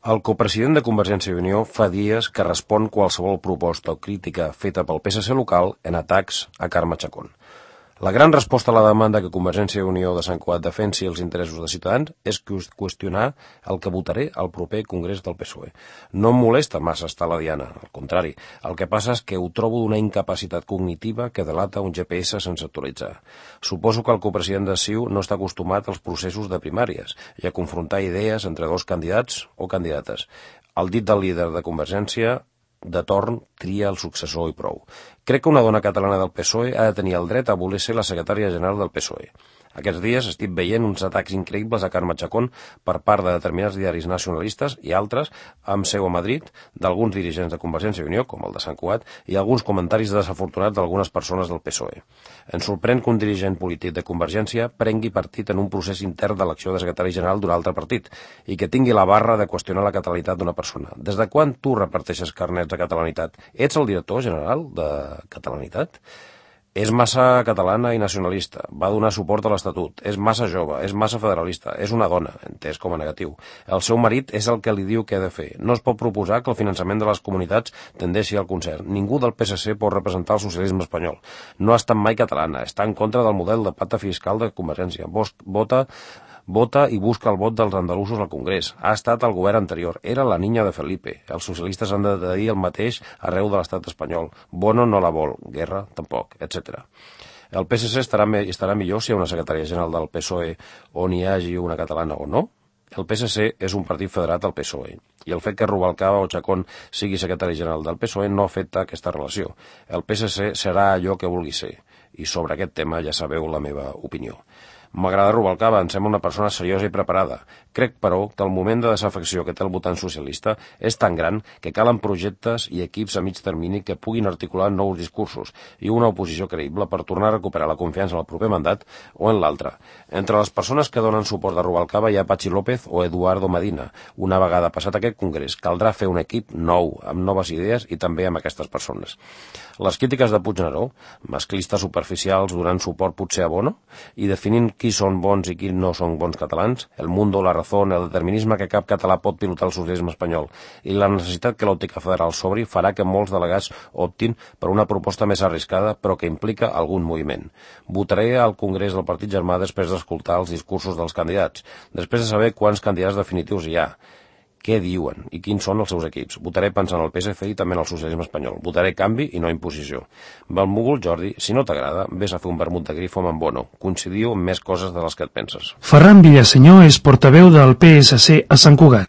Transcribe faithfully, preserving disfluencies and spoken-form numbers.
El copresident de Convergència i Unió fa dies que respon qualsevol proposta o crítica feta pel P S C local en atacs a Carme Chacón. La gran resposta a la demanda que Convergència i Unió de Sant Cugat defensi els interessos de Ciutadans és qüestionar el que votaré al proper Congrés del P S O E. No em molesta massa estar a la diana, al contrari. El que passa és que ho trobo d'una incapacitat cognitiva que delata un G P S sense actualitzar. Suposo que el copresident de C I U no està acostumat als processos de primàries i a confrontar idees entre dos candidats o candidates. El dit del líder de Convergència de torn tria el successor i prou. Crec que una dona catalana del P S O E ha de tenir el dret a voler ser la secretària general del P S O E. Aquests dies estic veient uns atacs increïbles a Carme Chacón per part de determinats diaris nacionalistes i altres, amb seu a Madrid, d'alguns dirigents de Convergència i Unió, com el de Sant Cugat, i alguns comentaris desafortunats d'algunes persones del P S O E. Ens sorprèn que un dirigent polític de Convergència prengui partit en un procés intern d'elecció de secretari general d'un altre partit i que tingui la barra de qüestionar la catalanitat d'una persona. Des de quan tu reparteixes carnets de catalanitat? Ets el director general de catalanitat? És massa catalana i nacionalista, va donar suport a l'Estatut, és massa jove, és massa federalista, és una dona, entès com a negatiu. El seu marit és el que li diu què ha de fer. No es pot proposar que el finançament de les comunitats tendeixi al concert. Ningú del P S C pot representar el socialisme espanyol. No ha estat mai catalana, està en contra del model de pacte fiscal de Convergència. Vota... Vota i busca el vot dels andalusos al Congrés. Ha estat el govern anterior. Era la niña de Felipe. Els socialistes han de dir el mateix arreu de l'estat espanyol. Bono no la vol. Guerra tampoc, etcètera. El P S C estarà, me, estarà millor si hi ha una secretària general del P S O E on hi hagi una catalana o no? El P S C és un partit federat al P S O E i el fet que Rubalcaba o Chacón sigui secretari general del P S O E no afecta aquesta relació. El P S C serà allò que vulgui ser i sobre aquest tema ja sabeu la meva opinió. M'agrada Rubalcaba, em sembla una persona seriosa i preparada. Crec, però, que el moment de desafecció que té el votant socialista és tan gran que calen projectes i equips a mig termini que puguin articular nous discursos i una oposició creïble per tornar a recuperar la confiança en el proper mandat o en l'altre. Entre les persones que donen suport a Rubalcaba hi ha Patxi López o Eduardo Medina. Una vegada passat aquest congrés, caldrà fer un equip nou, amb noves idees i també amb aquestes persones. Les crítiques de Puigneró, masclistes superficials donant suport potser a Bono i definint qui són bons i qui no són bons catalans, el mundo, la razón, el determinisme que cap català pot pilotar el socialisme espanyol i la necessitat que l'òptica federal s'obri farà que molts delegats optin per una proposta més arriscada però que implica algun moviment. Votaré al Congrés del Partit Germà després d'escoltar els discursos dels candidats, després de saber quants candidats definitius hi ha, què diuen i quins són els seus equips. Votaré pensant en el P S C i també en el socialisme espanyol. Votaré canvi i no imposició. Benvolgut Jordi, si no t'agrada, vés a fer un vermut de grifo amb en Bono. Coincidiu en més coses de les que et penses. Ferran Villasenyor és portaveu del P S C a Sant Cugat.